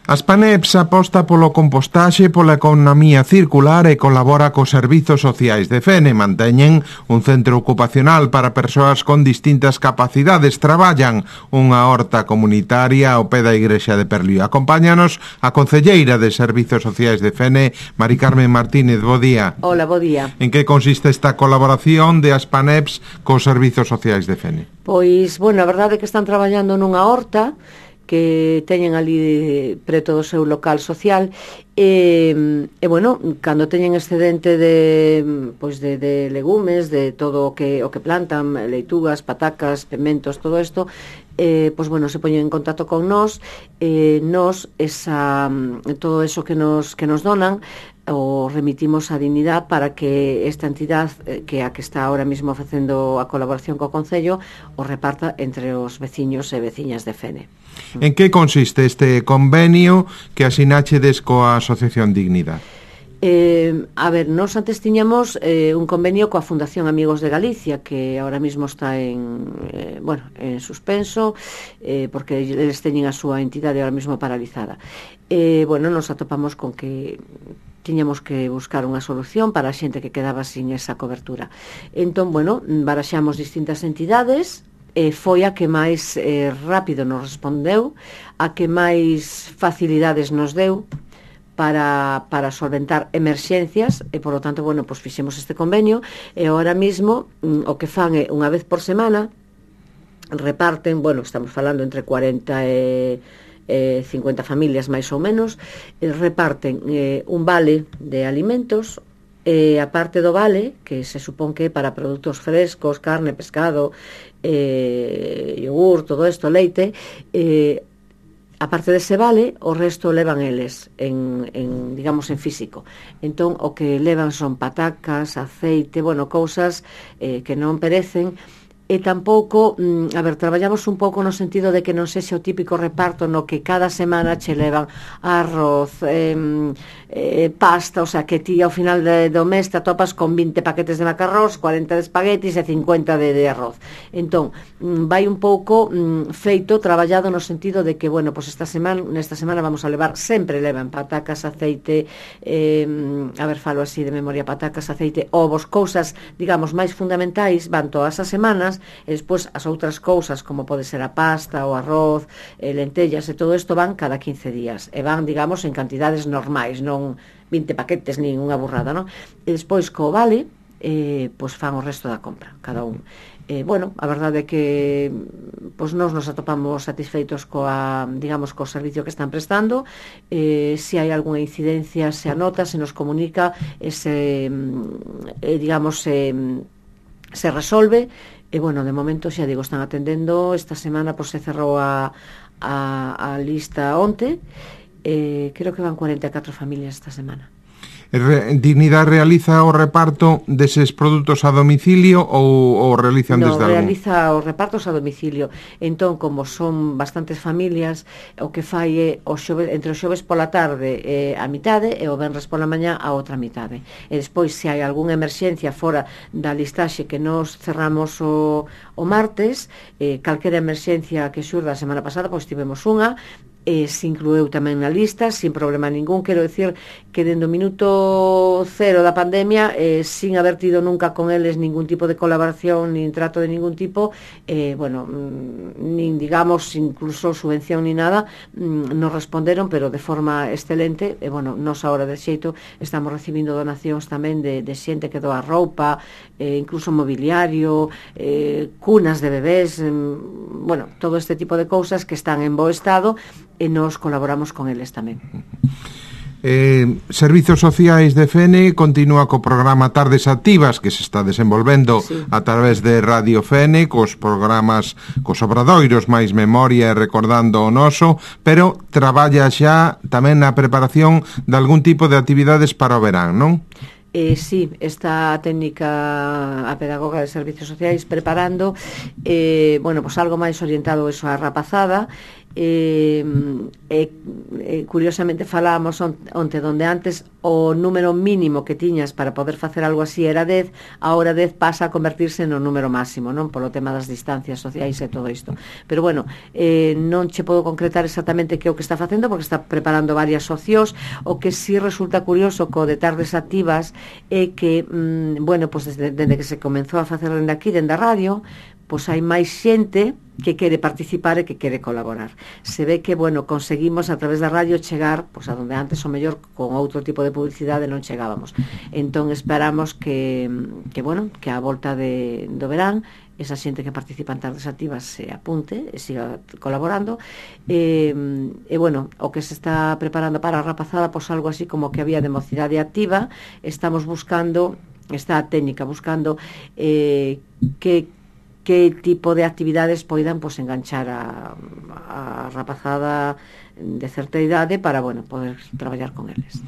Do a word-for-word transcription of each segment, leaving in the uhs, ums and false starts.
Aspaneps aposta polo compostaxe, pola economía circular e colabora cos servizos sociais de Fene. Manteñen un centro ocupacional para persoas con distintas capacidades. Traballan unha horta comunitaria ao pé da igrexa de Perlío. Acompáñanos a concelleira de Servizos Sociais de Fene, Mari Carmen Martínez. Bo día. Hola, bo día. En que consiste esta colaboración de Aspaneps cos Servizos Sociais de Fene? Pois, bueno, a verdade é que están traballando nunha horta que teñen ali preto do seu local social e, e bueno, cando teñen excedente de, pois de, de legumes, de todo o que, o que plantan, leitugas, patacas, pementos, todo isto, eh, pois bueno, se poñen en contacto con nós, eh, nós esa, todo eso que nos, que nos donan o remitimos a Dignidad para que esta entidade, que a que está ahora mismo facendo a colaboración co Concello, o reparta entre os veciños e veciñas de Fene. En que consiste este convenio que asinachedes coa Asociación Dignidad? Eh, a ver, nós antes tiñamos eh, un convenio coa Fundación Amigos de Galicia, que ahora mismo está en, eh, bueno, en suspenso, eh, porque eles teñen a súa entidade ahora mismo paralizada. Eh, bueno, nos atopamos con que tiñamos que buscar unha solución para a xente que quedaba sin esa cobertura. Entón, bueno, baraxamos distintas entidades, e foi a que máis eh, rápido nos respondeu, a que máis facilidades nos deu para, para solventar emerxencias, e, por lo tanto, bueno, pues fixemos este convenio, e ahora mismo o que fan é unha vez por semana, reparten, bueno, estamos falando entre cuarenta e Eh, cincuenta familias máis ou menos, eh, reparten eh, un vale de alimentos, e eh, a parte do vale, que se supón que é para produtos frescos, carne, pescado, eh, yogur, todo isto, leite, eh, a parte dese vale, o resto levan eles en, en, digamos, en físico. Entón, o que levan son patacas, aceite, bueno, cousas eh, que non perecen. E tampouco, a ver, traballamos un pouco no sentido de que non sexa o típico reparto no que cada semana che levan arroz, eh, eh, pasta, o sea, que ti ao final de, do mes te atopas con vinte paquetes de macarrós, cuarenta de espaguetis e cincuenta de, de arroz. Entón, vai un pouco mm, feito, traballado no sentido de que, bueno, pues esta semana, nesta semana vamos a levar, sempre levan patacas, aceite, eh, a ver, falo así de memoria, patacas, aceite, ovos, cousas, digamos, máis fundamentais, van todas as semanas, e despois as outras cousas como pode ser a pasta, o arroz, e lentellas e todo isto van cada quince días e van, digamos, en cantidades normais, non vinte paquetes nin unha burrada, non? E despois co vale eh, pois fan o resto da compra, cada un. Eh, bueno, a verdade é que pois nós nos atopamos satisfeitos coa, digamos, co servicio que están prestando. Eh, se hai algunha incidencia se anota, se nos comunica, ese, eh, digamos, se, se resolve. E, bueno, de momento, xa digo, están atendendo. Esta semana, pois, se cerrou a, a, a lista onte. Eh, creo que van cuarenta e catro familias esta semana. Dignidad realiza o reparto deses produtos a domicilio ou o realizan no, desde algún? No, realiza os repartos a domicilio. Entón, como son bastantes familias, o que fai é o xove, entre os xoves pola tarde eh, a mitade e o venres pola mañá a outra mitade. E despois, se hai algunha emerxencia fora da listaxe que nos cerramos o, o martes, eh, calquera emerxencia que xurda a semana pasada, pois tivemos unha, e se inclueu tamén na lista sin problema ningún. Quero decir que dende o minuto cero da pandemia, eh, sin haber tido nunca con eles ningún tipo de colaboración nin trato de ningún tipo, eh, bueno, nin digamos incluso subvención ni nada, nos responderon, pero de forma excelente. E bueno, nos agora de xeito estamos recibindo donacións tamén de, de xente que doa roupa, eh, incluso mobiliario, eh, cunas de bebés, eh, bueno, todo este tipo de cousas que están en bo estado, e nos colaboramos con eles tamén. Eh, Servizos Sociais de Fene continúa co programa Tardes Activas, que se está desenvolvendo sí. a través de Radio Fene, cos programas, cos obradoiros máis memoria e recordando o noso, pero traballa xa tamén na preparación de algún tipo de actividades para o verán, non? Eh, sí, esta técnica a pedagoga de servicios sociais preparando eh, bueno, pues algo máis orientado eso a rapazada, eh, eh, eh, curiosamente falábamos on, onte donde antes o número mínimo que tiñas para poder facer algo así era dez, agora dez pasa a convertirse no número máximo, non? Polo tema das distancias sociais e todo isto. Pero bueno, eh, non che podo concretar exactamente que é o que está facendo, porque está preparando varias opcións. O que sí resulta curioso co de tardes activas é que, mm, bueno, pues desde, desde que se comenzou a facer dende aquí, dende a radio, pois hai máis xente que quere participar e que quere colaborar. Se ve que, bueno, conseguimos a través da radio chegar, pois a donde antes o mellor con outro tipo de publicidade non chegábamos. Entón esperamos que, que bueno, que a volta de, do verán esa xente que participa en tardes activas se apunte e siga colaborando. E, e bueno, o que se está preparando para a rapazada, pois algo así como que había de mocidade activa, estamos buscando, está a técnica buscando eh, que que tipo de actividades poidan pues, enganchar a, a rapazada de certa idade para, bueno, poder traballar con eles.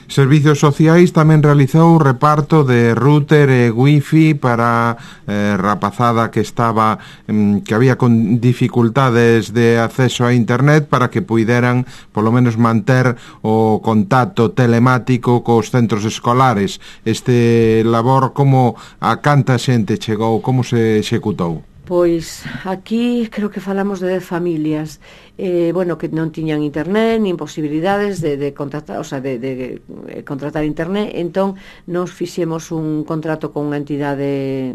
Servicios Sociais tamén realizou reparto de router e wifi para eh, rapazada que estaba mm, que había con dificultades de acceso a internet para que puideran polo menos manter o contacto telemático cos centros escolares. Este labor, como a canta xente chegou, como se executou? Pois aquí creo que falamos de dez familias eh, bueno, que non tiñan internet nin posibilidades de, de contratar, o sea, de, de, de contratar internet. Entón nos fixemos un contrato con unha entidade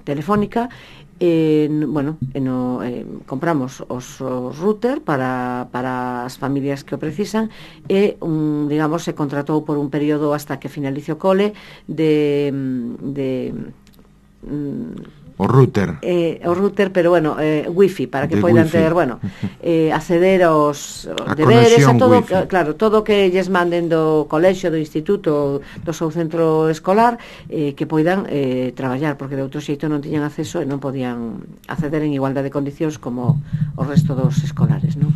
telefónica. Eh, bueno, eh, no, eh, compramos os, os router para, para as familias que o precisan e, un, digamos, se contratou por un período hasta que finalice o cole de... de mm, o router. Eh, o router, pero bueno, eh, wifi, para que de poidan wifi. ter, bueno, eh, acceder aos a deberes, a todo, wifi. claro, todo que lles manden do colexio, do instituto, do seu centro escolar, eh, que poidan eh, traballar, porque de outro xeito non tiñan acceso e non podían acceder en igualdade de condicións como o resto dos escolares, non?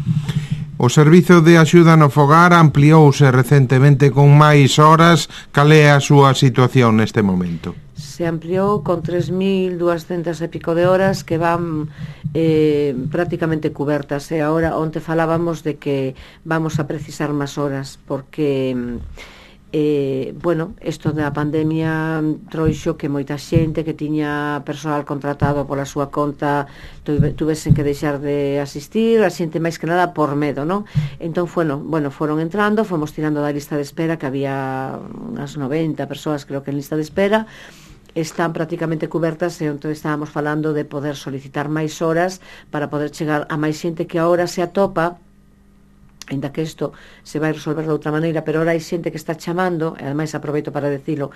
O Servizo de Axuda no Fogar ampliouse recentemente con máis horas. Cal é a súa situación neste momento? Se ampliou con tres mil duascentas e pico de horas que van eh, prácticamente cubertas, e agora onte falábamos de que vamos a precisar máis horas porque eh, bueno, isto da pandemia trouxo que moita xente que tiña persoal contratado pola súa conta tuvesen que deixar de asistir, a xente máis que nada por medo, non? Entón, bueno, bueno, foron entrando, fomos tirando da lista de espera, que había unhas noventa persoas, creo que en lista de espera, están prácticamente cubertas, e entón estábamos falando de poder solicitar máis horas para poder chegar a máis xente que agora se atopa, ainda que isto se vai resolver de outra maneira, pero ahora hai xente que está chamando, e ademais aproveito para decilo,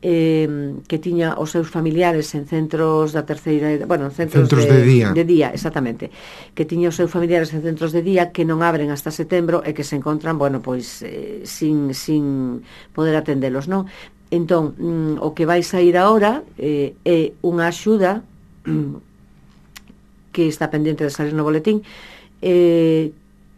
eh, que tiña os seus familiares en centros da terceira, bueno, en centros, centros de, de día, de día, exactamente, que tiña os seus familiares en centros de día que non abren hasta setembro e que se encontran, bueno, pois eh, sin, sin poder atendelos, non? Entón, mm, o que vai sair agora eh, é unha axuda mm, que está pendente de salir no boletín, eh,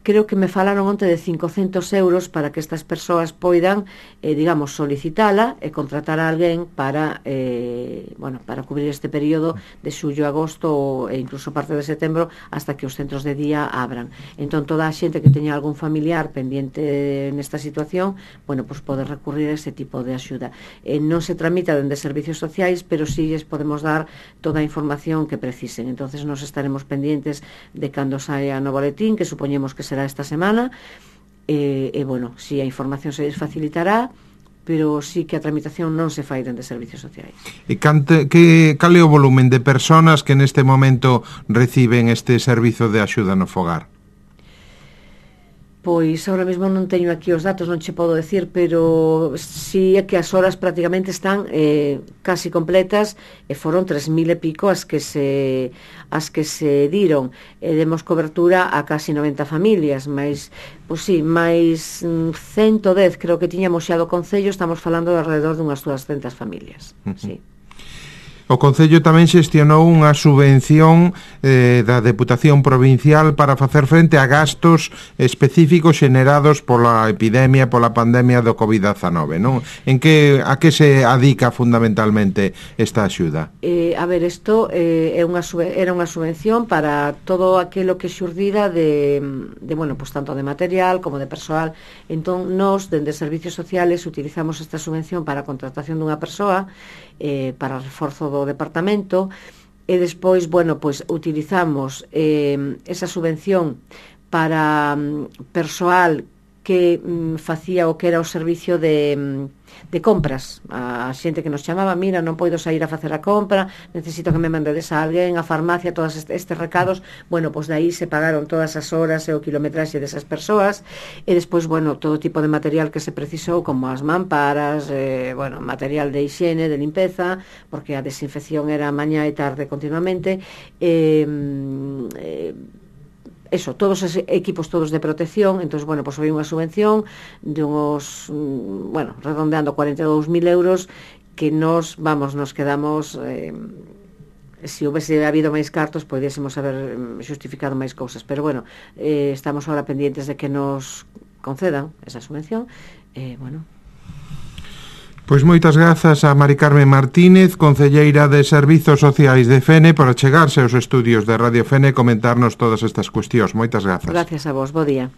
creo que me falaron onte de cincocentos euros para que estas persoas poidan, eh, digamos, solicitala e contratar a alguén para, eh, bueno, para cubrir este período de xullo, agosto e incluso parte de setembro hasta que os centros de día abran. Entón, toda a xente que teña algún familiar pendiente nesta situación, bueno, pues pode recurrir a ese tipo de axuda. Eh, non se tramita dende servicios sociais, pero sí lles podemos dar toda a información que precisen. Entonces, nos estaremos pendientes de cando saia no boletín, que supoñemos que será esta semana, e, e bueno, si a información se les facilitará, pero sí que a tramitación non se fai dende servicios sociais. E cante, que, cal é o volumen de personas que neste momento reciben este servizo de axuda no fogar? Pois ahora mesmo non teño aquí os datos, non che podo decir, pero si é que as horas prácticamente están eh, casi completas, e foron tres mil e pico as que se as que se diron, e demos cobertura a casi noventa familias, máis, pois si, máis ciento dez creo que tiñamos xa do concello, estamos falando de alrededor dunhas dúascentas familias. Uh-huh. Sí. O Concello tamén xestionou unha subvención eh, da Deputación Provincial para facer frente a gastos específicos xenerados pola epidemia, pola pandemia do covid dezanove, non? En que, a que se adica fundamentalmente esta axuda? Eh, a ver, isto eh, é unha, era unha subvención para todo aquilo que xurdira de, de, bueno, pues tanto de material como de persoal. Entón, nós, dende Servicios Sociales, utilizamos esta subvención para a contratación dunha persoa, eh, para o reforzo do departamento, e despois, bueno, pois utilizamos eh, esa subvención para um, persoal que um, facía o que era o servicio de, um, de compras. A xente que nos chamaba, mira, non poido sair a facer a compra, necesito que me mandedes a alguén, a farmacia, todos estes recados. Bueno, pois de aí se pagaron todas as horas e o kilometraxe desas persoas, e despois, bueno, todo tipo de material que se precisou, como as mamparas, eh, bueno, material de higiene, de limpeza, porque a desinfección era mañá e tarde continuamente, e eh, eso, todos os equipos todos de protección. Entón, bueno, pois foi unha subvención de uns, bueno, redondeando cuarenta e dous mil euros, que nos, vamos, nos quedamos, eh, se houvese habido máis cartos, podíamos haber xustificado máis cousas, pero bueno, eh, estamos ahora pendientes de que nos concedan esa subvención, e, eh, bueno... Pois moitas grazas a Mari Carmen Martínez, concelleira de Servizos Sociais de Fene, por achegarse aos estudios de Radio Fene e comentarnos todas estas cuestións. Moitas grazas. Gracias a vos, bo día.